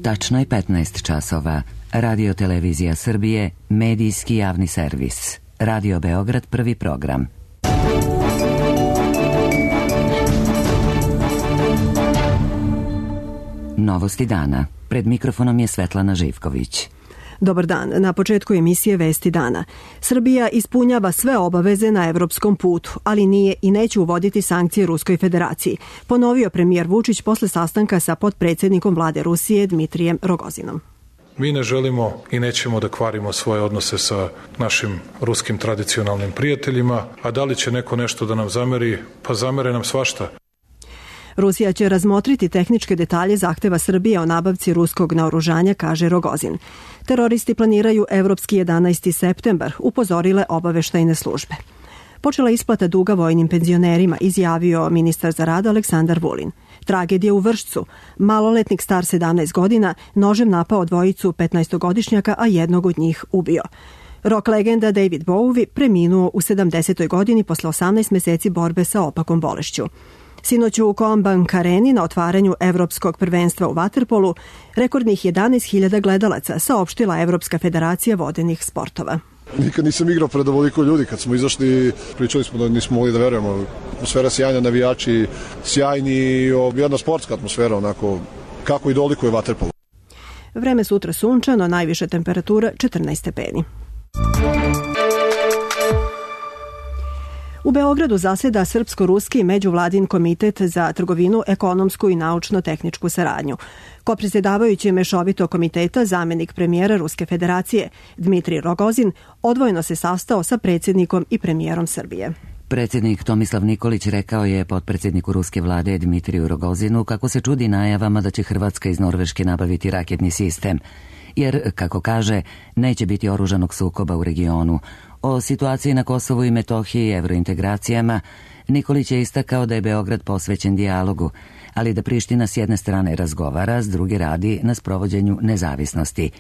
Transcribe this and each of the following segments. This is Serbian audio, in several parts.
Tačno je 15 časova. Radio Televizija Srbije, medijski javni servis. Radio Beograd, prvi program. Novosti dana. Pred mikrofonom je Svetlana Živković. Dobar dan. Na početku emisije Vesti dana. Srbija ispunjava sve obaveze na evropskom putu, ali nije i neće uvoditi sankcije Ruskoj federaciji, ponovio premijer Vučić posle sastanka sa potpredsjednikom vlade Rusije Dmitrijem Rogozinom. Mi ne želimo i nećemo da kvarimo svoje odnose sa našim ruskim tradicionalnim prijateljima, a da li će neko nešto da nam zameri, pa zamere nam svašta. Rusija će razmotriti tehničke detalje zahteva Srbije o nabavci ruskog naoružanja, kaže Rogozin. Teroristi planiraju evropski 11. septembar, upozorile obaveštajne službe. Počela isplata duga vojnim penzionerima, izjavio ministar za rad Aleksandar Vulin. Tragedija u Vršcu. Maloletnik star 17 godina nožem napao dvojicu 15-godišnjaka, a jednog od njih ubio. Rock legenda David Bowie preminuo u 70. godini posle 18 meseci borbe sa opakom bolešću. Sinoć u Combank Areni na otvaranju Evropskog prvenstva u vaterpolu rekordnih 11.000 gledalaca, saopštila Evropska federacija vodenih sportova. Nikad nisam igrao pred ovoliko ljudi. Kad smo izašli, pričali smo da nismo mogli da verujemo. Atmosfera sjajna, navijači sjajni, jedna sportska atmosfera, onako kako i dolikuje vaterpolu. Vreme sutra sunčano, najviša temperatura 14 stepeni. U Beogradu zaseda Srpsko-ruski međuvladin komitet za trgovinu, ekonomsku i naučno-tehničku saradnju. Kopredsjedavajući mešovitog komiteta, zamenik premijera Ruske federacije Dmitrij Rogozin odvojeno se sastao sa predsjednikom i premijerom Srbije. Predsjednik Tomislav Nikolić rekao je potpredsjedniku ruske vlade Dmitriju Rogozinu kako se čudi najavama da će Hrvatska iz Norveške nabaviti raketni sistem, jer, kako kaže, neće biti oružanog sukoba u regionu. O situaciji na Kosovu i Metohiji i evrointegracijama Nikolić je istakao da je Beograd posvećen dijalogu, ali da Priština s jedne strane razgovara, s druge radi na sprovođenju nezavisnosti.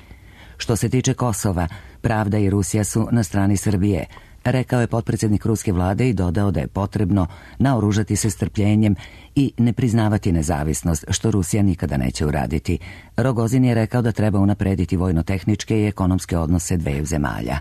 Što se tiče Kosova, pravda i Rusija su na strani Srbije, rekao je potpredsjednik ruske vlade i dodao da je potrebno naoružati se strpljenjem i ne priznavati nezavisnost, što Rusija nikada neće uraditi. Rogozin je rekao da treba unaprediti vojno-tehničke i ekonomske odnose dveju zemalja.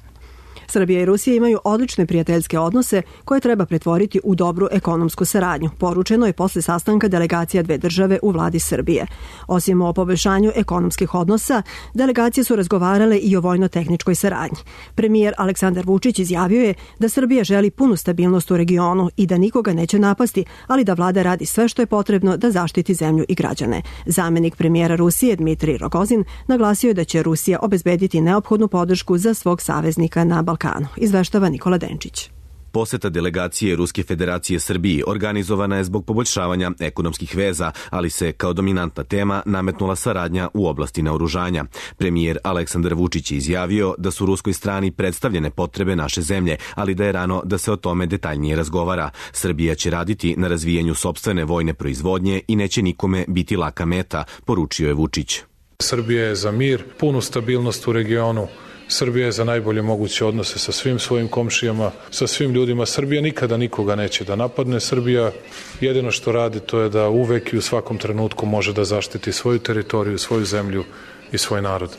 Srbija i Rusija imaju odlične prijateljske odnose koje treba pretvoriti u dobru ekonomsku saradnju, poručeno je posle sastanka delegacija dve države u vladi Srbije. Osim o poboljšanju ekonomskih odnosa, delegacije su razgovarale i o vojno-tehničkoj saradnji. Premijer Aleksandar Vučić izjavio je da Srbija želi punu stabilnost u regionu i da nikoga neće napasti, ali da vlada radi sve što je potrebno da zaštiti zemlju i građane. Zamenik premijera Rusije Dmitrij Rogozin naglasio je da će Rusija obezbediti neophodnu podršku za svog saveznika na Balkanu. Izveštava Nikola Denčić. Poseta delegacije Ruske federacije Srbiji organizovana je zbog poboljšavanja ekonomskih veza, ali se kao dominantna tema nametnula saradnja u oblasti naoružanja. Premijer Aleksandar Vučić je izjavio da su ruskoj strani predstavljene potrebe naše zemlje, ali da je rano da se o tome detaljnije razgovara. Srbija će raditi na razvijanju sopstvene vojne proizvodnje i neće nikome biti laka meta, poručio je Vučić. Srbija je za mir, punu stabilnost u regionu. Srbija je za najbolje moguće odnose sa svim svojim komšijama, sa svim ljudima. Srbija nikada nikoga neće da napadne. Srbija jedino što radi to je da uvek i u svakom trenutku može da zaštiti svoju teritoriju, svoju zemlju i svoj narod.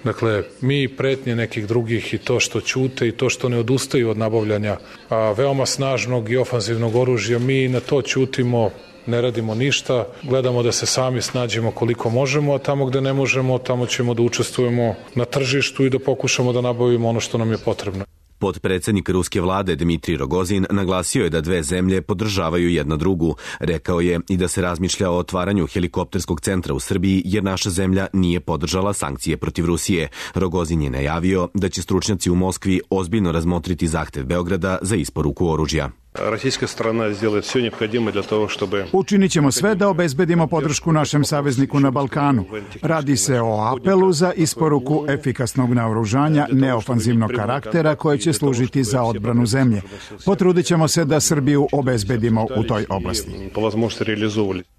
Dakle, mi pretnje nekih drugih i to što ćute i to što ne odustaju od nabavljanja veoma snažnog i ofanzivnog oružja, mi na to ćutimo, ne radimo ništa, gledamo da se sami snađemo koliko možemo, a tamo gde ne možemo, tamo ćemo da učestvujemo na tržištu i da pokušamo da nabavimo ono što nam je potrebno. Potpredsjednik ruske vlade Dmitrij Rogozin naglasio je da dve zemlje podržavaju jedna drugu. Rekao je i da se razmišlja o otvaranju helikopterskog centra u Srbiji jer naša zemlja nije podržala sankcije protiv Rusije. Rogozin je najavio da će stručnjaci u Moskvi ozbiljno razmotriti zahtev Beograda za isporuku oružja. Učinit ćemo sve da obezbedimo podršku našem savezniku na Balkanu. Radi se o apelu za isporuku efikasnog naoružanja neofanzivnog karaktera koje će služiti za odbranu zemlje. Potrudit ćemo se da Srbiju obezbedimo u toj oblasti.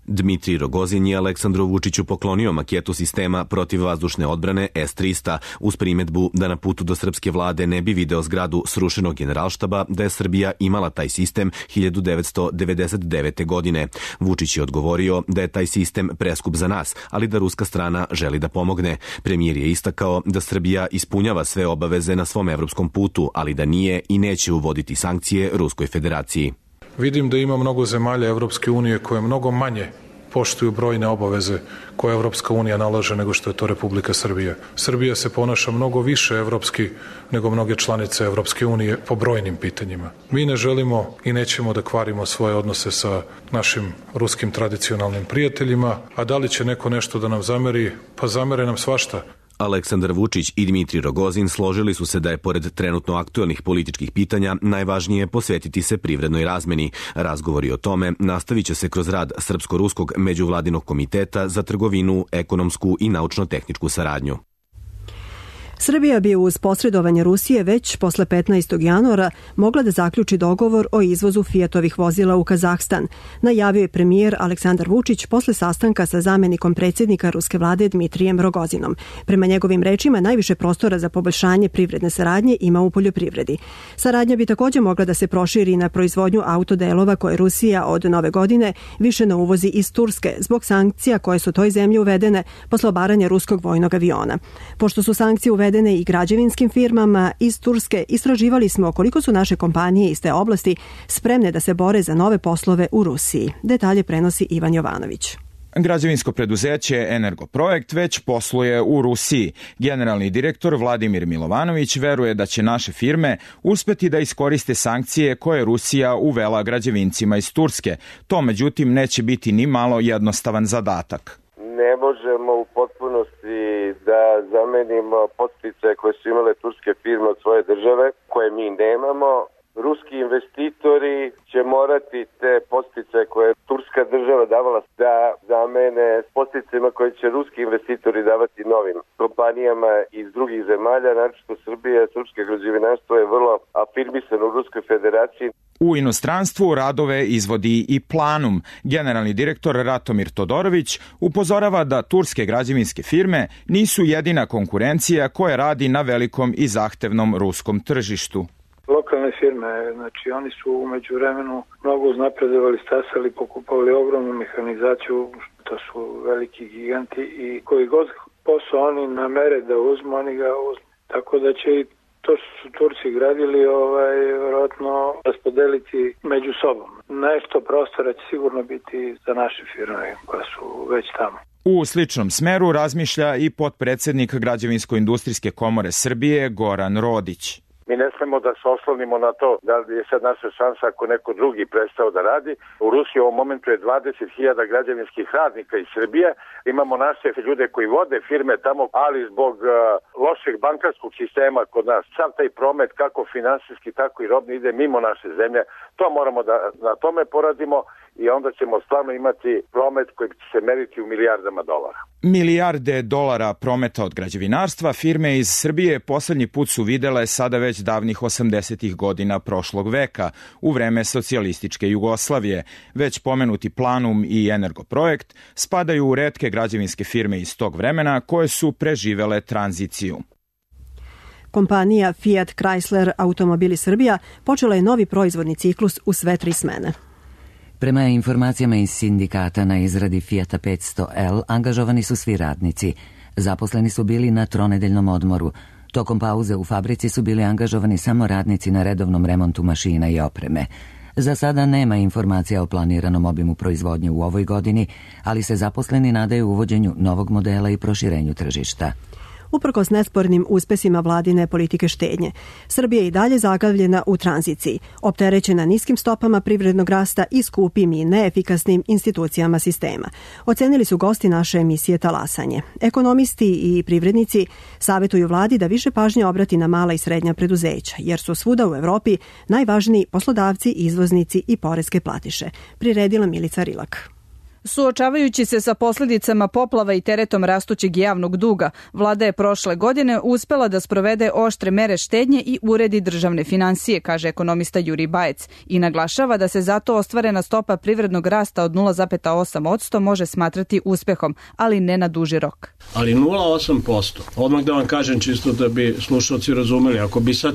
Dmitrij Rogozin je Aleksandru Vučiću poklonio maketu sistema protivvazdušne odbrane S-300 uz primetbu da na putu do srpske vlade ne bi video zgradu srušenog generalštaba da je Srbija imala taj sistem 1999. godine. Vučić je odgovorio da je taj sistem preskup za nas, ali da ruska strana želi da pomogne. Premijer je istakao da Srbija ispunjava sve obaveze na svom evropskom putu, ali da nije i neće uvoditi sankcije Ruskoj federaciji. Vidim da ima mnogo zemalja Evropske unije koje mnogo manje poštuju brojne obaveze koje Evropska unija nalaže nego što je to Republika Srbija. Srbija se ponaša mnogo više evropski nego mnoge članice Evropske unije po brojnim pitanjima. Mi ne želimo i nećemo da kvarimo svoje odnose sa našim ruskim tradicionalnim prijateljima, a da li će neko nešto da nam zameri? Pa zamere nam svašta. Aleksandar Vučić i Dmitrij Rogozin složili su se da je pored trenutno aktuelnih političkih pitanja najvažnije posvetiti se privrednoj razmeni. Razgovori o tome nastavit će se kroz rad Srpsko-ruskog međuvladinog komiteta za trgovinu, ekonomsku i naučno-tehničku saradnju. Srbija bi uz posredovanje Rusije već posle 15. januara mogla da zaključi dogovor o izvozu Fiatovih vozila u Kazahstan, najavio je premijer Aleksandar Vučić posle sastanka sa zamenikom predsjednika ruske vlade Dmitrijem Rogozinom. Prema njegovim rečima, najviše prostora za poboljšanje privredne saradnje ima u poljoprivredi. Saradnja bi također mogla da se proširi na proizvodnju autodelova koje Rusija od nove godine više ne uvozi iz Turske zbog sankcija koje su toj zemlji uvedene posle obaranja ruskog vojnog aviona. Pošto su sankcije uvedene i građevinskim firmama iz Turske, istraživali smo koliko su naše kompanije iz te oblasti spremne da se bore za nove poslove u Rusiji. Detalje prenosi Ivan Jovanović. Građevinsko preduzeće Energoprojekt već posluje u Rusiji. Generalni direktor Vladimir Milovanović veruje da će naše firme uspeti da iskoriste sankcije koje Rusija uvela građevincima iz Turske. To međutim neće biti ni malo jednostavan zadatak. Ne možemo u potpunosti da zamenimo podsticaje koje su imale turske firme od svoje države, koje mi nemamo. Ruski investitori će morati te podsticaje koje je turska država davala da zamene s podsticajima koje će ruski investitori davati novim kompanijama iz drugih zemalja, naročito Srbije. Srpske građevinarstvo je vrlo afirmisano u Ruskoj federaciji. U inostranstvu radove izvodi i Planum. Generalni direktor Ratomir Todorović upozorava da turske građevinske firme nisu jedina konkurencija koja radi na velikom i zahtevnom ruskom tržištu. Lokalne firme, znači oni su u međuvremenu mnogo uznapredovali, stasali, pokupovali ogromnu mehanizaciju, to su veliki giganti i koji god posao oni namere da uzmu, oni ga uzmu. Tako da će i to što su Turci gradili, vjerojatno raspodeliti među sobom. Nešto prostora će sigurno biti za naše firme koje su već tamo. U sličnom smeru razmišlja i potpredsjednik Građevinsko-industrijske komore Srbije Goran Rodić. Mi ne smemo da se oslonimo na to da je sad naša šansa ako neko drugi prestao da radi. U Rusiji u ovom momentu je 20.000 građevinskih radnika iz Srbije. Imamo naše ljude koji vode firme tamo, ali zbog lošeg bankarskog sistema kod nas, sav taj promet kako finansijski, tako i robni ide mimo naše zemlje. To moramo da na tome poradimo i onda ćemo stvarno imati promet koji će se meriti u milijardama dolara. Milijarde dolara prometa od građevinarstva firme iz Srbije poslednji put su videle sada već davnih 80. godina prošlog veka, u vreme socijalističke Jugoslavije. Već pomenuti Planum i Energoprojekt spadaju u retke građevinske firme iz tog vremena koje su preživele tranziciju. Kompanija Fiat Chrysler Automobili Srbija počela je novi proizvodni ciklus u sve 3 smene. Prema informacijama iz sindikata na izradi Fiata 500L angažovani su svi radnici. Zaposleni su bili na tronedeljnom odmoru. Tokom pauze u fabrici su bili angažovani samo radnici na redovnom remontu mašina i opreme. Za sada nema informacija o planiranom obimu proizvodnje u ovoj godini, ali se zaposleni nadaju uvođenju novog modela i proširenju tržišta. Uprkos nespornim uspesima vladine politike štednje, Srbija je i dalje zaglavljena u tranziciji, opterećena niskim stopama privrednog rasta i skupim i neefikasnim institucijama sistema. Ocenili su gosti naše emisije Talasanje. Ekonomisti i privrednici savjetuju vladi da više pažnje obrati na mala i srednja preduzeća, jer su svuda u Evropi najvažniji poslodavci, izvoznici i poreske platiše. Priredila Milica Rilak. Suočavajući se sa posljedicama poplava i teretom rastućeg javnog duga, vlada je prošle godine uspela da sprovede oštre mere štednje i uredi državne finansije, kaže ekonomista Jurij Bajec, i naglašava da se zato ostvarena stopa privrednog rasta od 0,8% može smatrati uspehom, ali ne na duži rok. Ali 0,8%, odmah da vam kažem čisto da bi slušalci razumeli, ako bi sad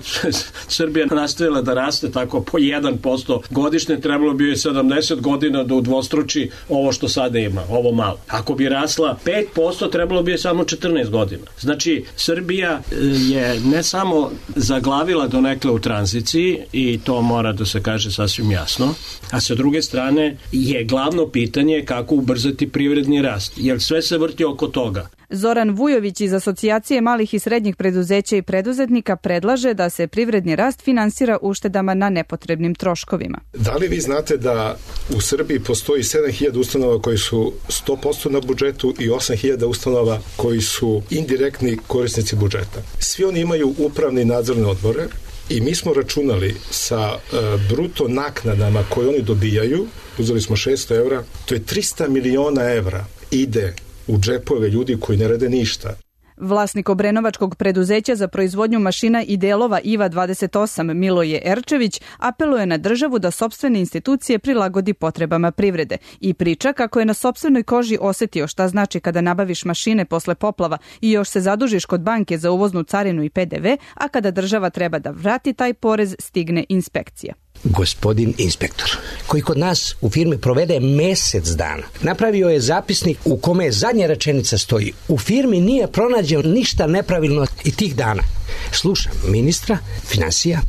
Srbija nastavila da raste tako po 1% godišnje, trebalo bi joj 70 godina da udvostruči ovo što sada ima, ovo malo. Ako bi rasla 5%, trebalo bi je samo 14 godina. Znači, Srbija je ne samo zaglavila donekle u tranziciji, i to mora da se kaže sasvim jasno, a sa druge strane je glavno pitanje kako ubrzati privredni rast, jer sve se vrti oko toga. Zoran Vujović iz Asocijacije malih i srednjih preduzeća i preduzetnika predlaže da se privredni rast finansira uštedama na nepotrebnim troškovima. Da li vi znate da u Srbiji postoji 7.000 ustanova koji su 100% na budžetu i 8.000 ustanova koji su indirektni korisnici budžeta? Svi oni imaju upravne i nadzorne odbore i mi smo računali sa bruto naknadama koje oni dobijaju, uzeli smo 600 evra, to je 300 miliona evra ide u džepove ljudi koji ne rade ništa. Vlasnik obrenovačkog preduzeća za proizvodnju mašina i delova IVA 28 Miloje Erčević apeluje na državu da sopstvene institucije prilagodi potrebama privrede i priča kako je na sopstvenoj koži osetio šta znači kada nabaviš mašine posle poplava i još se zadužiš kod banke za uvoznu carinu i PDV, a kada država treba da vrati taj porez, stigne inspekcija. Gospodin inspektor, koji kod nas u firmi provede mesec dana, napravio je zapisnik u kome zadnja rečenica stoji: u firmi nije pronađeno ništa nepravilno i tih dana. Slušam ministra finansija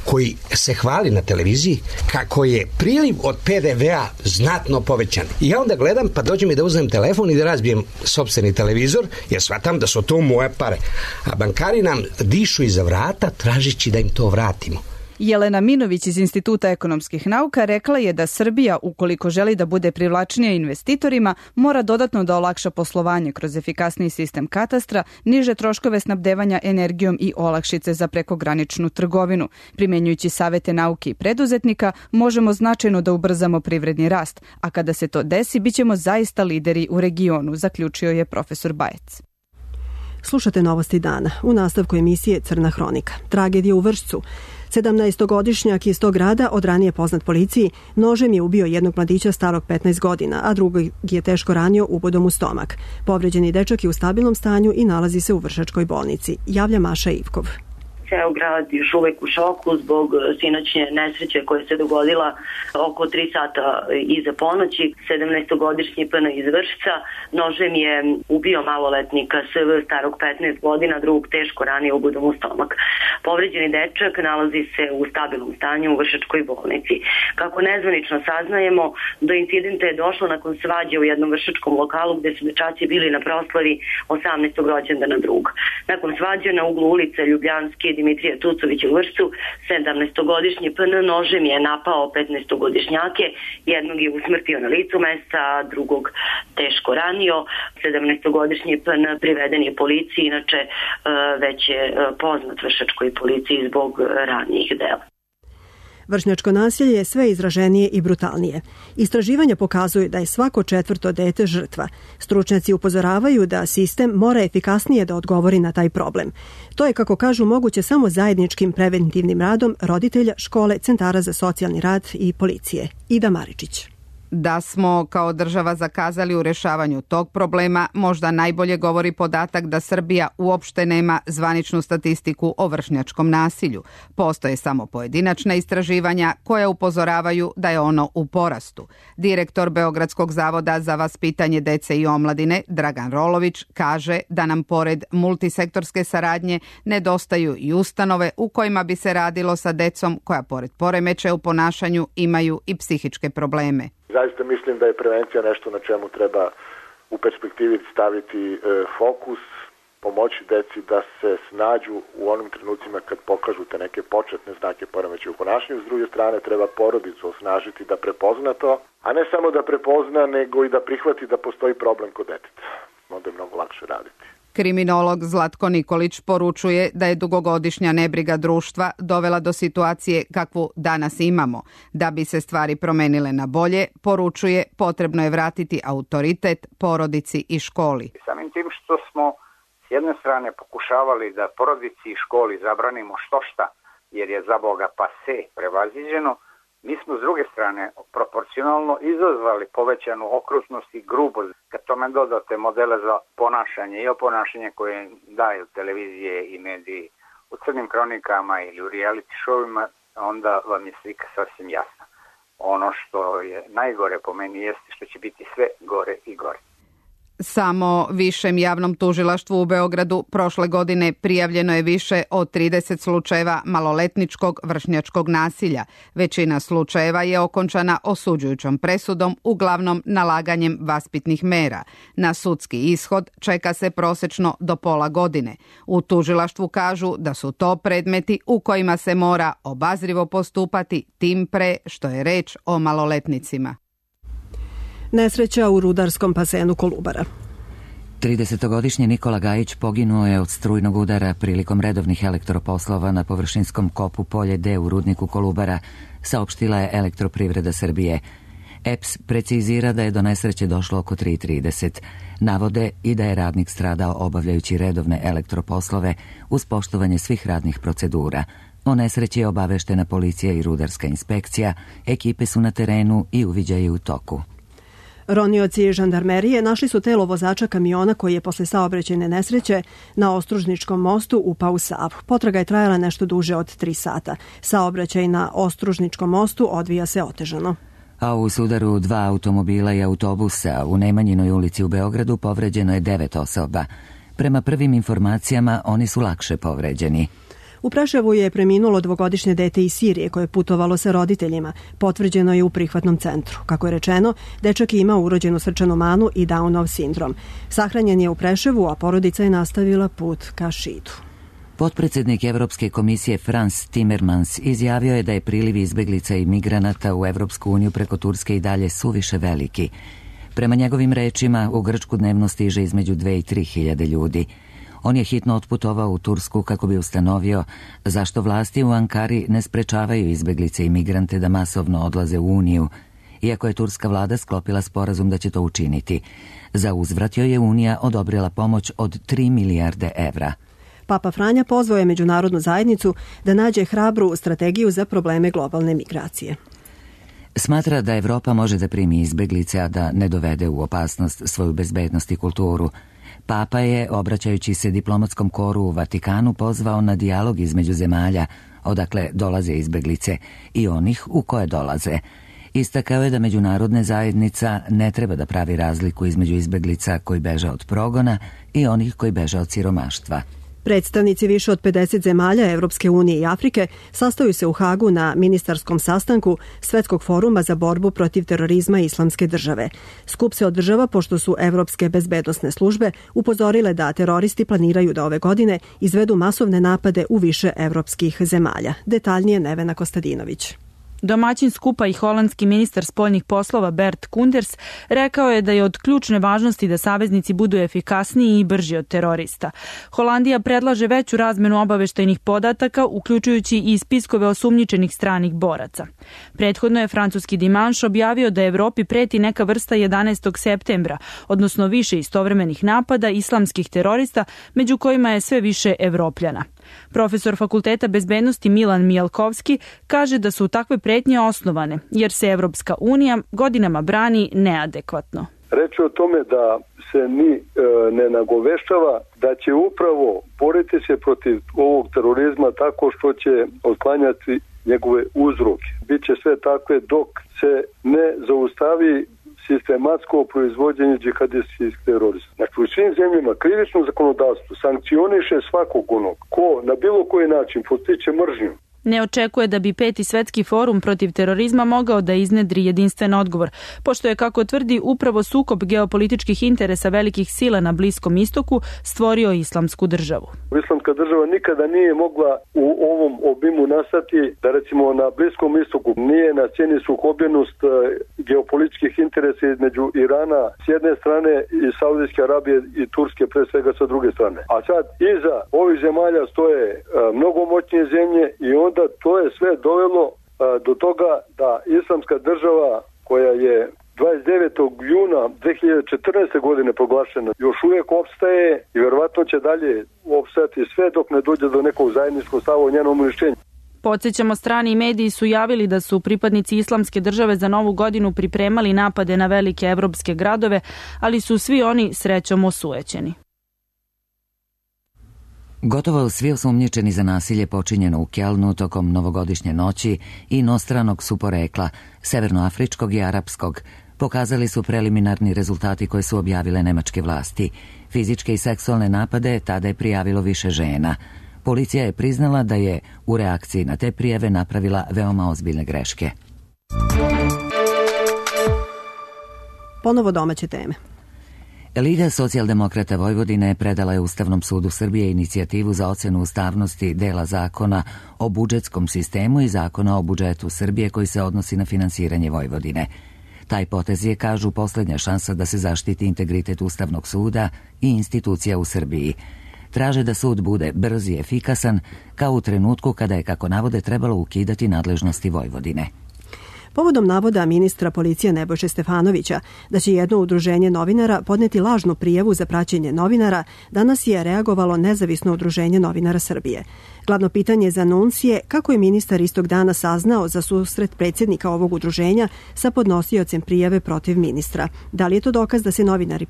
koji se hvali na televiziji kako je priliv od PDV-a znatno povećan. I ja onda gledam, pa dođe mi da uzmem telefon i da razbijem sopstveni televizor, jer shvatam da su to moje pare. A bankari nam dišu iza vrata tražići da im to vratimo. Jelena Minović iz Instituta ekonomskih nauka rekla je da Srbija, ukoliko želi da bude privlačnija investitorima, mora dodatno da olakša poslovanje kroz efikasniji sistem katastra, niže troškove snabdevanja energijom i olakšice za prekograničnu trgovinu. Primenjujući savete nauke i preduzetnika, možemo značajno da ubrzamo privredni rast, a kada se to desi, bićemo zaista lideri u regionu, zaključio je profesor Bajec. Slušate Novosti dana. U nastavku emisije Crna hronika. Tragedija u Vršcu. 17-godišnjak iz tog grada, od ranije poznat policiji, nožem je ubio jednog mladića starog 15 godina, a drugog je teško ranio ubodom u stomak. Povređeni dečak je u stabilnom stanju i nalazi se u Vršačkoj bolnici. Javlja Maša Ivkov. Ceo grad još uvek u šoku zbog sinoćnje nesreće koja se dogodila oko 3 sata iza ponoći. 17-godišnji PN iz Vršca nožem je ubio maloletnika SV starog 15 godina, drugog teško ranio ubodom u stomak. Povređeni dečak nalazi se u stabilnom stanju u Vršačkoj bolnici. Kako nezvanično saznajemo, do incidenta je došlo nakon svađe u jednom vršačkom lokalu gde su dečaci bili na proslavi 18. rođendana drug. Nakon svađe na uglu ulice Ljubljanske Dimitrija Tucovića u Vršcu, 17-godišnji PN nožem je napao 15-godišnjake, jednog je usmrtio na licu mesta, a drugog teško ranio. 17-godišnji PN priveden je policiji, inače već je poznat Vršačkoj policiji zbog ranijih dela. Vršnjačko nasilje je sve izraženije i brutalnije. Istraživanja pokazuju da je svako 4. dete žrtva. Stručnjaci upozoravaju da sistem mora efikasnije da odgovori na taj problem. To je, kako kažu, moguće samo zajedničkim preventivnim radom roditelja, škole, centara za socijalni rad i policije. Ida Maričić. Da smo kao država zakazali u rešavanju tog problema, možda najbolje govori podatak da Srbija uopšte nema zvaničnu statistiku o vršnjačkom nasilju. Postoje samo pojedinačna istraživanja koja upozoravaju da je ono u porastu. Direktor Beogradskog zavoda za vaspitanje dece i omladine, Dragan Rolović, kaže da nam pored multisektorske saradnje nedostaju i ustanove u kojima bi se radilo sa decom koja pored poremećaja u ponašanju imaju i psihičke probleme. Zaista mislim da je prevencija nešto na čemu treba u perspektivi staviti fokus, pomoći deci da se snađu u onim trenucima kad pokažu te neke početne znake poremećaja u ponašanju. S druge strane, treba porodicu osnažiti da prepozna to, a ne samo da prepozna, nego i da prihvati da postoji problem kod deteta. Onda je mnogo lakše raditi. Kriminolog Zlatko Nikolić poručuje da je dugogodišnja nebriga društva dovela do situacije kakvu danas imamo. Da bi se stvari promenile na bolje, poručuje, potrebno je vratiti autoritet porodici i školi. Samim tim što smo s jedne strane pokušavali da porodici i školi zabranimo štošta, jer je za Boga pase prevaziđeno, mi smo s druge strane proporcionalno izazvali povećanu okrutnost i grubost. Kad tome dodate modele za ponašanje i oponašanje koje daju televizije i mediji u crnim kronikama ili u reality showima, onda vam je slika sasvim jasna. Ono što je najgore po meni jeste što će biti sve gore i gore. Samo Višem javnom tužilaštvu u Beogradu prošle godine prijavljeno je više od 30 slučajeva maloletničkog vršnjačkog nasilja. Većina slučajeva je okončana osuđujućom presudom, uglavnom nalaganjem vaspitnih mera. Na sudski ishod čeka se prosečno do pola godine. U tužilaštvu kažu da su to predmeti u kojima se mora obazrivo postupati, tim pre što je reč o maloletnicima. Nesreća u rudarskom basenu Kolubara. 30-godišnji Nikola Gajić poginuo je od strujnog udara prilikom redovnih elektroposlova na površinskom kopu Polje D u rudniku Kolubara, saopštila je Elektroprivreda Srbije. EPS precizira da je do nesreće došlo oko 3:30. Navode i da je radnik stradao obavljajući redovne elektroposlove uz poštovanje svih radnih procedura. O nesreći je obaveštena policija i rudarska inspekcija, ekipe su na terenu i uviđaji u toku. Ronioci žandarmerije našli su telo vozača kamiona koji je posle saobraćajne nesreće na Ostružničkom mostu upao u Savu. Potraga je trajala nešto duže od 3 sata. Saobraćaj na Ostružničkom mostu odvija se otežano. A u sudaru 2 automobila i autobusa u Nemanjinoj ulici u Beogradu povređeno je 9 osoba. Prema prvim informacijama oni su lakše povređeni. U Preševu je preminulo 2-godišnje dete iz Sirije koje je putovalo sa roditeljima. Potvrđeno je u prihvatnom centru. Kako je rečeno, dečak je imao urođenu srčanu manu i Downov sindrom. Sahranjen je u Preševu, a porodica je nastavila put ka Šidu. Potpredsednik Evropske komisije Frans Timmermans izjavio je da je priliv izbeglica i migranata u Evropsku uniju preko Turske i dalje suviše veliki. Prema njegovim rečima, u Grčku dnevno stiže između 2 i 3 hiljade ljudi. On je hitno otputovao u Tursku kako bi ustanovio zašto vlasti u Ankari ne sprečavaju izbeglice i migrante da masovno odlaze u Uniju, iako je turska vlada sklopila sporazum da će to učiniti. Za uzvrat joj je Unija odobrila pomoć od 3 milijarde evra. Papa Franja pozvao je međunarodnu zajednicu da nađe hrabru strategiju za probleme globalne migracije. Smatra da Evropa može da primi izbeglice, a da ne dovede u opasnost svoju bezbednost i kulturu. Papa je, obraćajući se diplomatskom koru u Vatikanu, pozvao na dijalog između zemalja, odakle dolaze izbeglice, i onih u koje dolaze. Istakao je da međunarodna zajednica ne treba da pravi razliku između izbeglica koji beže od progona i onih koji beže od siromaštva. Predstavnici više od 50 zemalja Evropske unije i Afrike sastaju se u Hagu na ministarskom sastanku Svetskog foruma za borbu protiv terorizma i islamske države. Skup se održava pošto su evropske bezbednosne službe upozorile da teroristi planiraju da ove godine izvedu masovne napade u više evropskih zemalja. Detaljnije Nevena Kostadinović. Domaćin skupa i holandski ministar spoljnih poslova Bert Koenders rekao je da je od ključne važnosti da saveznici budu efikasniji i brži od terorista. Holandija predlaže veću razmenu obaveštajnih podataka, uključujući i spiskove osumnjičenih stranih boraca. Prethodno je francuski Dimanche objavio da Evropi preti neka vrsta 11. septembra, odnosno više istovremenih napada islamskih terorista, među kojima je sve više Evropljana. Profesor Fakulteta bezbednosti Milan Mijalkovski kaže da su takve pretnje osnovane, jer se Evropska unija godinama brani neadekvatno. Reč je o tome da se ni ne nagoveštava da će upravo boriti se protiv ovog terorizma tako što će otklanjati njegove uzroke. Biće sve takve dok se ne zaustavi sistematsko proizvođenje džihadistskih terorista. Znači, u svim zemljama krivično zakonodavstvo sankcioniše svakog onog ko na bilo koji način postiče mržnju Ne očekuje da bi 5. svetski forum protiv terorizma mogao da iznedri jedinstven odgovor, pošto je, kako tvrdi, upravo sukob geopolitičkih interesa velikih sila na Bliskom istoku stvorio islamsku državu. Islamska država nikada nije mogla u ovom obimu nastati da recimo na Bliskom istoku nije na sceni sukobljenost geopolitičkih interesa između Irana s jedne strane i Saudijske Arabije i Turske pre svega sa druge strane. A sad iza ovih zemalja stoje mnogo moćnije zemlje i onda to je sve dovelo do toga da islamska država koja je 29. juna 2014. godine proglašena još uvijek opstaje i verovatno će dalje opstajati sve dok ne dođe do nekog zajedničkog stava o njenom uništenju. Podsjećamo, strani mediji su javili da su pripadnici islamske države za Novu godinu pripremali napade na velike evropske gradove, ali su svi oni srećom osujećeni. Gotovo svi osumnjičeni za nasilje počinjeno u Kelnu tokom novogodišnje noći i inostranog su porekla, severnoafričkog i arapskog, pokazali su preliminarni rezultati koje su objavile nemačke vlasti. Fizičke i seksualne napade tada je prijavilo više žena. Policija je priznala da je u reakciji na te prijave napravila veoma ozbiljne greške. Ponovo domaće teme. Liga socijaldemokrata Vojvodine predala je Ustavnom sudu Srbije inicijativu za ocenu ustavnosti dela zakona o budžetskom sistemu i zakona o budžetu Srbije koji se odnosi na finansiranje Vojvodine. Taj potez je, kažu, poslednja šansa da se zaštiti integritet Ustavnog suda i institucija u Srbiji. Traže da sud bude brz i efikasan, kao u trenutku kada je, kako navode, trebalo ukidati nadležnosti Vojvodine. Povodom navoda ministra policije Nebojše Stefanovića da će jedno udruženje novinara podneti lažnu prijavu za praćenje novinara, danas je reagovalo Nezavisno udruženje novinara Srbije. Glavno pitanje za NUNS je kako je ministar istog dana saznao za susret predsjednika ovog udruženja sa podnosiocem prijave protiv ministra. Da li je to dokaz da se novinari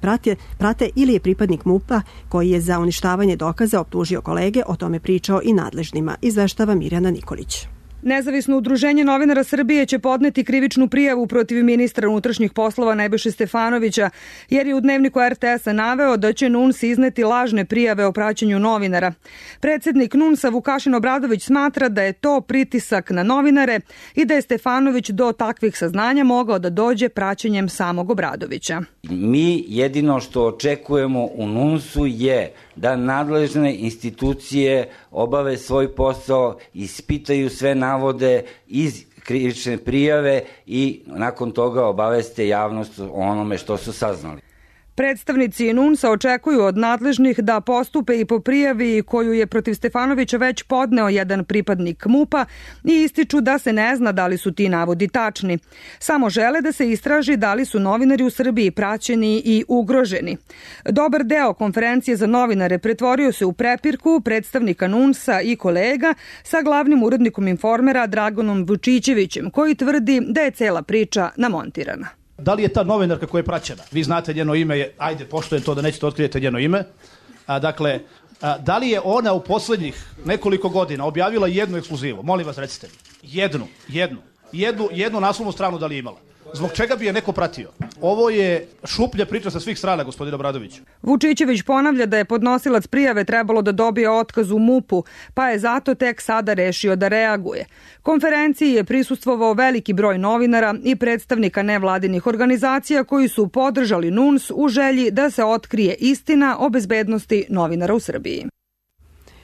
prate ili je pripadnik MUP-a koji je za uništavanje dokaza optužio kolege, o tome pričao i nadležnima, izveštava Mirjana Nikolić. Nezavisno udruženje novinara Srbije će podneti krivičnu prijavu protiv ministra unutrašnjih poslova Nebojše Stefanovića, jer je u dnevniku RTS-a naveo da će NUNS izneti lažne prijave o praćenju novinara. Predsjednik NUNS-a Vukašin Obradović smatra da je to pritisak na novinare i da je Stefanović do takvih saznanja mogao da dođe praćenjem samog Obradovića. Mi jedino što očekujemo u NUNS-u je da nadležne institucije obave svoj posao, ispitaju sve navode iz krivične prijave i nakon toga obaveste javnost o onome što su saznali. Predstavnici NUNS-a očekuju od nadležnih da postupe i po prijavi koju je protiv Stefanovića već podneo jedan pripadnik MUP-a i ističu da se ne zna da li su ti navodi tačni. Samo žele da se istraži da li su novinari u Srbiji praćeni i ugroženi. Dobar deo konferencije za novinare pretvorio se u prepirku predstavnika NUNS-a i kolega sa glavnim urednikom Informera Dragonom Vučićevićem, koji tvrdi da je cela priča namontirana. Da li je ta novinarka koja je praćena? Vi znate njeno ime, ajde, poštujem to da nećete otkrijete njeno ime. Dakle, da li je ona u poslednjih nekoliko godina objavila jednu ekskluzivu? Molim vas, recite mi. Jednu naslovnu stranu da li je imala? Zbog čega bi je neko pratio? Ovo je šuplja priča sa svih strana, gospodine Obradoviću. Vučićević ponavlja da je podnosilac prijave trebalo da dobije otkaz u MUP-u, pa je zato tek sada rešio da reaguje. Konferenciji je prisustvovao veliki broj novinara i predstavnika nevladinih organizacija koji su podržali NUNS u želji da se otkrije istina o bezbednosti novinara u Srbiji.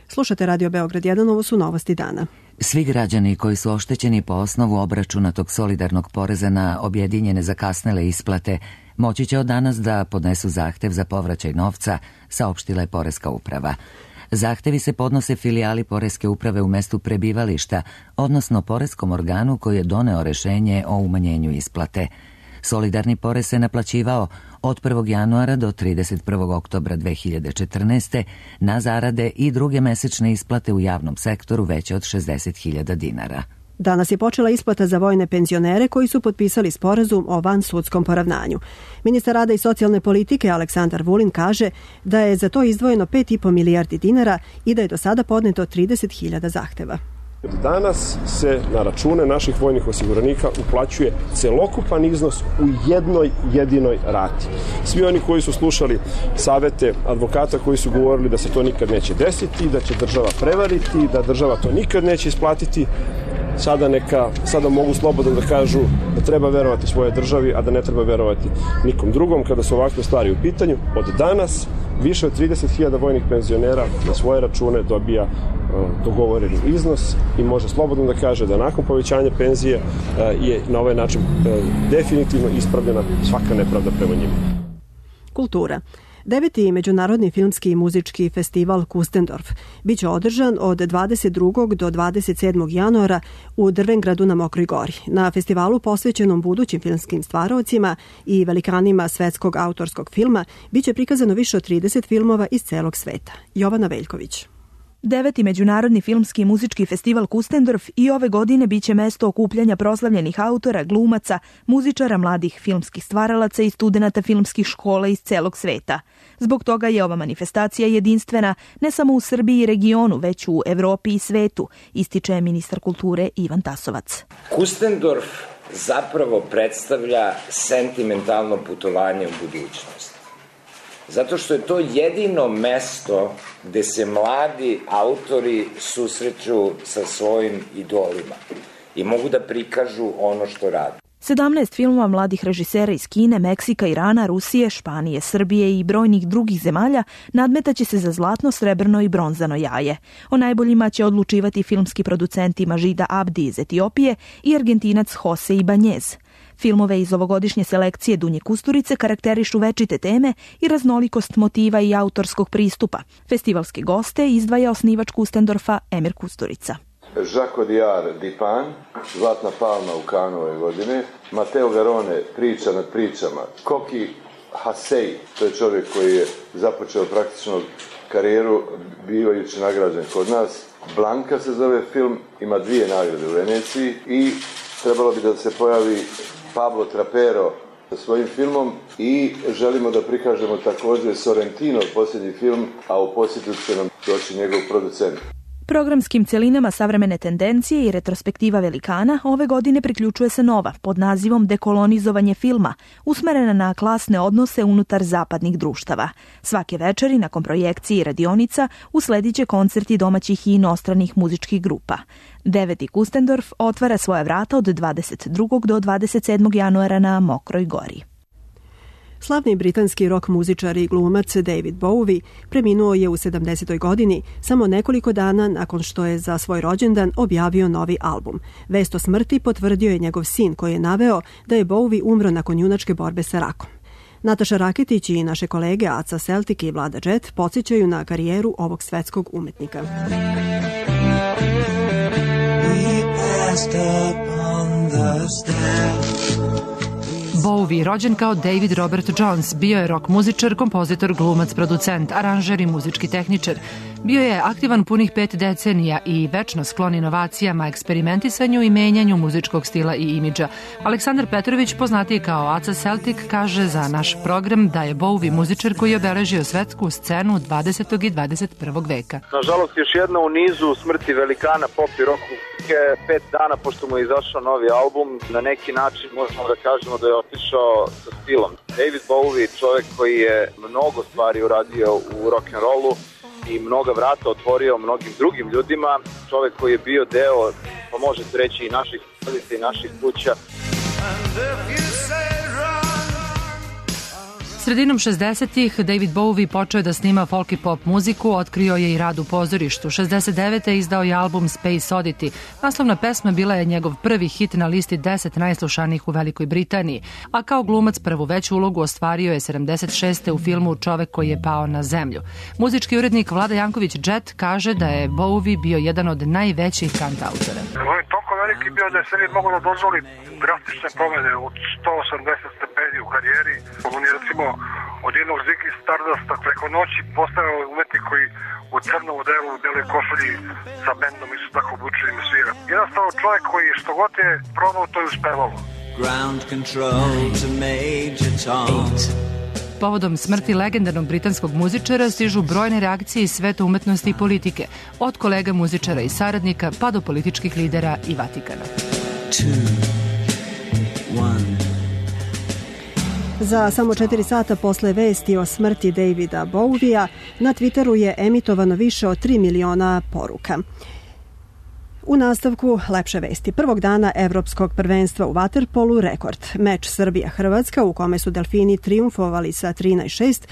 Slušate Radio Beograd 1, ovo su novosti dana. Svi građani koji su oštećeni po osnovu obračunatog solidarnog poreza na objedinjene zakasnele isplate moći će od danas da podnesu zahtev za povraćaj novca, saopštila je Poreska uprava. Zahtevi se podnose filijali Poreske uprave u mestu prebivališta, odnosno poreskom organu koji je doneo rešenje o umanjenju isplate. Solidarni porez se naplaćivao od 1. januara do 31. oktobra 2014. na zarade i druge mesečne isplate u javnom sektoru veće od 60.000 dinara. Danas je počela isplata za vojne penzionere koji su potpisali sporazum o vansudskom poravnanju. Ministar rada i socijalne politike Aleksandar Vulin kaže da je za to izdvojeno 5,5 milijardi dinara i da je do sada podneto 30.000 zahteva. Danas se na račune naših vojnih osiguranika uplaćuje celokupan iznos u jednoj jedinoj rati. Svi oni koji su slušali savete advokata koji su govorili da se to nikad neće desiti, da će država prevariti, da država to nikad neće isplatiti, sada mogu slobodno da kažu da treba verovati svojoj državi, a da ne treba verovati nikom drugom kada su ovakve stvari u pitanju. Od danas više od 30.000 vojnih penzionera na svoje račune dobija dogovoreni iznos i može slobodno da kaže da nakon povećanja penzije je na ovaj način definitivno ispravljena svaka nepravda prema njima. Kultura. 9. Međunarodni filmski i muzički festival Kustendorf biće održan od 22. do 27. januara u Drvengradu na Mokroj Gori. Na festivalu posvećenom budućim filmskim stvaraocima i velikanima svetskog autorskog filma biće prikazano više od 30 filmova iz celog sveta. Jovana Veljković. 9. Međunarodni filmski i muzički festival Kustendorf i ove godine biće mesto okupljanja proslavljenih autora, glumaca, muzičara, mladih filmskih stvaralaca i studenata filmskih škola iz celog sveta. Zbog toga je ova manifestacija jedinstvena ne samo u Srbiji i regionu, već u Evropi i svetu, ističe ministar kulture Ivan Tasovac. Kustendorf zapravo predstavlja sentimentalno putovanje u budućnost. Zato što je to jedino mesto gde se mladi autori susreću sa svojim idolima i mogu da prikažu ono što rade. 17 filmova mladih režisera iz Kine, Meksika, Irana, Rusije, Španije, Srbije i brojnih drugih zemalja nadmetaće se za zlatno, srebrno i bronzano jaje. O najboljima će odlučivati filmski producenti Mažida Abdi iz Etiopije i Argentinac Jose Ibanez. Filmove iz ovogodišnje selekcije Dunje Kusturice karakterišu večite teme i raznolikost motiva i autorskog pristupa. Festivalski goste izdvaja osnivač Kustendorfa Emir Kusturica. Žako Diar Dipan, Zlatna palma u Kanu ove godine, Mateo Garone, Priča nad pričama, Koki Hasej, to je čovjek koji je započeo praktično karijeru bivajući nagrađen kod nas. Blanka se zove film, ima 2 nagrade u Veneciji i trebalo bi da se pojavi Pablo Trapero sa svojim filmom i želimo da prikažemo također Sorrentino posljednji film, a u posjetu će nam doći njegov producent. Programskim celinama savremene tendencije i retrospektiva velikana ove godine priključuje se nova pod nazivom Dekolonizovanje filma, usmerena na klasne odnose unutar zapadnih društava. Svake večeri nakon projekcije i radionica usledit će koncerti domaćih i inostranih muzičkih grupa. 9. Kustendorf otvara svoja vrata od 22. do 27. januara na Mokroj Gori. Slavni britanski rock muzičar i glumac David Bowie preminuo je u 70. godini, samo nekoliko dana nakon što je za svoj rođendan objavio novi album. Vest o smrti potvrdio je njegov sin koji je naveo da je Bowie umro nakon junačke borbe sa rakom. Nataša Raketić i naše kolege Aca Celtic i Vlada Jet podsjećaju na karijeru ovog svetskog umetnika. Bowie, rođen kao David Robert Jones, bio je rock muzičar, kompozitor, glumac, producent, aranžer i muzički tehničar. Bio je aktivan punih 5 decenija i večno sklon inovacijama, eksperimentisanju i menjanju muzičkog stila i imidža. Aleksandar Petrović, poznatiji kao Aca Celtic, kaže za naš program da je Bowie muzičar koji je obeležio svetsku scenu 20. i 21. veka. Nažalost, još jedna u nizu smrti velikana pop i rock muzike. 5 dana pošto mu je izašao novi album, na neki način možemo da kažemo da je otišao sa stilom. David Bowie, čovjek koji je mnogo stvari uradio u rock'n'rollu i mnoga vrata otvorio mnogim drugim ljudima, čovjek koji je bio deo, pa možete reći, i naših porodica i naših kuća. Sredinom 60-ih David Bowie počeo da snima folk i pop muziku, otkrio je i rad u pozorištu. 69. izdao je album Space Oddity. Naslovna pesma bila je njegov prvi hit na listi 10 najslušanijih u Velikoj Britaniji, a kao glumac prvu veću ulogu ostvario je 76. u filmu Čovek koji je pao na zemlju. Muzički urednik Vlada Janković Jet kaže da je Bowie bio jedan od najvećih kantautora. On je toliko veliki bio da je sebi mogo da dozvoli drastične promene od 180 stepeni u karijeri. On je recimo od jednog Ziggy Stardasta preko noći postao umetnik koji u crnom odelu, u beloj košulji sa bendom i su tako obučenim svira. Jednostavno čovjek koji što god je probao, to je uspevalo. Ground control to Major Tom. Povodom smrti legendarnog britanskog muzičara stižu brojne reakcije iz sveta umetnosti i politike, od kolega muzičara i saradnika pa do političkih lidera i Vatikana. Za samo 4 sata posle vesti o smrti Davida Bowija na Twitteru je emitovano više od 3 miliona poruka. U nastavku lepše vesti. Prvog dana Evropskog prvenstva u vaterpolu rekord. Meč Srbija-Hrvatska u kome su Delfini trijumfovali sa 13-6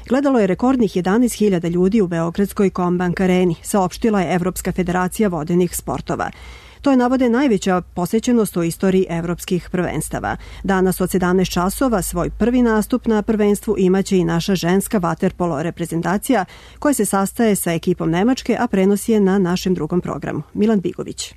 gledalo je rekordnih 11.000 ljudi u Beogradskoj Kombank areni, saopštila je Evropska federacija vodenih sportova. To je, navode, najveća posećenost u istoriji evropskih prvenstava. Danas od 17 časova svoj prvi nastup na prvenstvu imaće i naša ženska vaterpolo reprezentacija koja se sastaje sa ekipom Nemačke, a prenosi je na našem drugom programu. Milan Bigović.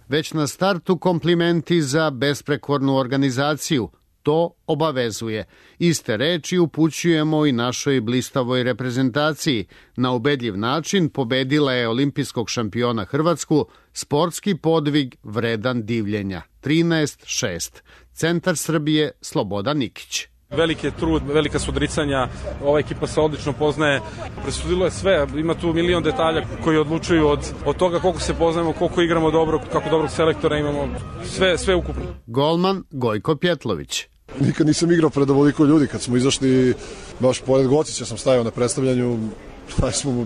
Već na startu komplimenti za besprekornu organizaciju. To obavezuje. Iste reči upućujemo i našoj blistavoj reprezentaciji. Na ubedljiv način pobedila je olimpijskog šampiona Hrvatsku, sportski podvig vredan divljenja. 13-6. Centar Srbije Slobodan Nikić. Veliki je trud, velika su odricanja, ova ekipa se odlično poznaje, presudilo je sve, ima tu milion detalja koji odlučuju od toga koliko se poznajemo, koliko igramo dobro, kako dobrog selektora imamo, sve ukupno. Golman Gojko Pjetlović. Nikad nisam igrao pred ovoliko ljudi, kad smo izašli, baš pored Gocića sam stajao na predstavljanju,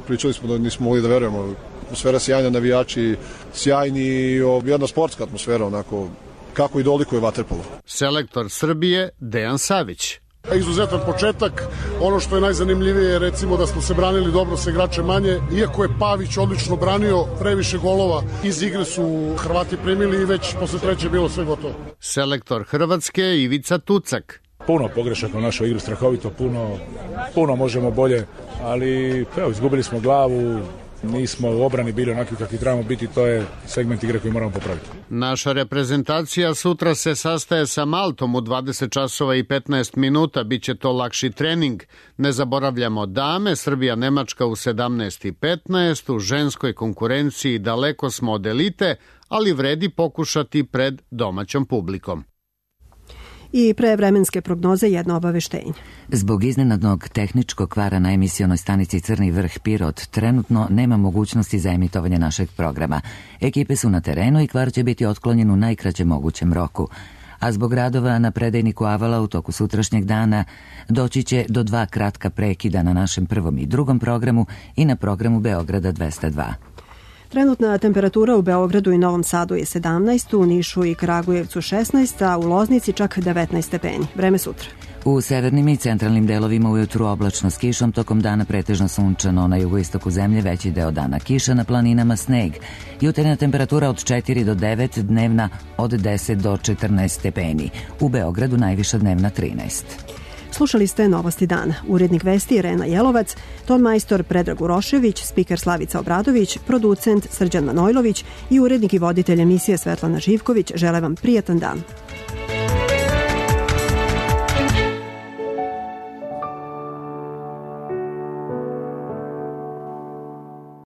pričali smo da nismo mogli da verujemo, atmosfera sjajna, navijači sjajni, jedna sportska atmosfera, onako, kako i dolikuje vaterpolo. Selektor Srbije Dejan Savić. Izuzetan početak, ono što je najzanimljivije je recimo da smo se branili dobro sa igračem manje, iako je Pavić odlično branio, previše golova iz igre su Hrvati primili i već posle treće bilo sve gotovo. Selektor Hrvatske Ivica Tucak. Puno pogrešaka u našoj igri, strahovito puno možemo bolje, ali evo, izgubili smo glavu, nismo u obrani bili onakvi kakvi trebamo biti, to je segment igre koji moramo popraviti. Naša reprezentacija sutra se sastaje sa Maltom u 20 časova i 15 minuta, bit će to lakši trening. Ne zaboravljamo dame, Srbija-Nemačka u 17:15, u ženskoj konkurenciji daleko smo od elite, ali vredi pokušati pred domaćom publikom. I pre vremenske prognoze jedno obaveštenje. Zbog iznenadnog tehničkog kvara na emisionoj stanici Crni vrh Pirot trenutno nema mogućnosti za emitovanje našeg programa. Ekipe su na terenu i kvar će biti otklonjen u najkraćem mogućem roku. A zbog radova na predajniku Avala u toku sutrašnjeg dana doći će do 2 kratka prekida na našem prvom i drugom programu i na programu Beograda 202. Trenutna temperatura u Beogradu i Novom Sadu je 17, u Nišu i Kragujevcu 16, a u Loznici čak 19 stepeni. Vreme sutra. U severnim i centralnim delovima ujutru oblačno s kišom, tokom dana pretežno sunčano, na jugoistoku zemlje veći deo dana kiša, na planinama sneg. Jutarnja temperatura od 4 do 9, dnevna od 10 do 14 stepeni. U Beogradu najviša dnevna 13. Slušali ste Novosti dana. Urednik vesti Irena Jelovac, ton majstor Predrag Urošević, spiker Slavica Obradović, producent Srđan Manojlović i urednik i voditelj emisije Svetlana Živković žele vam prijatan dan.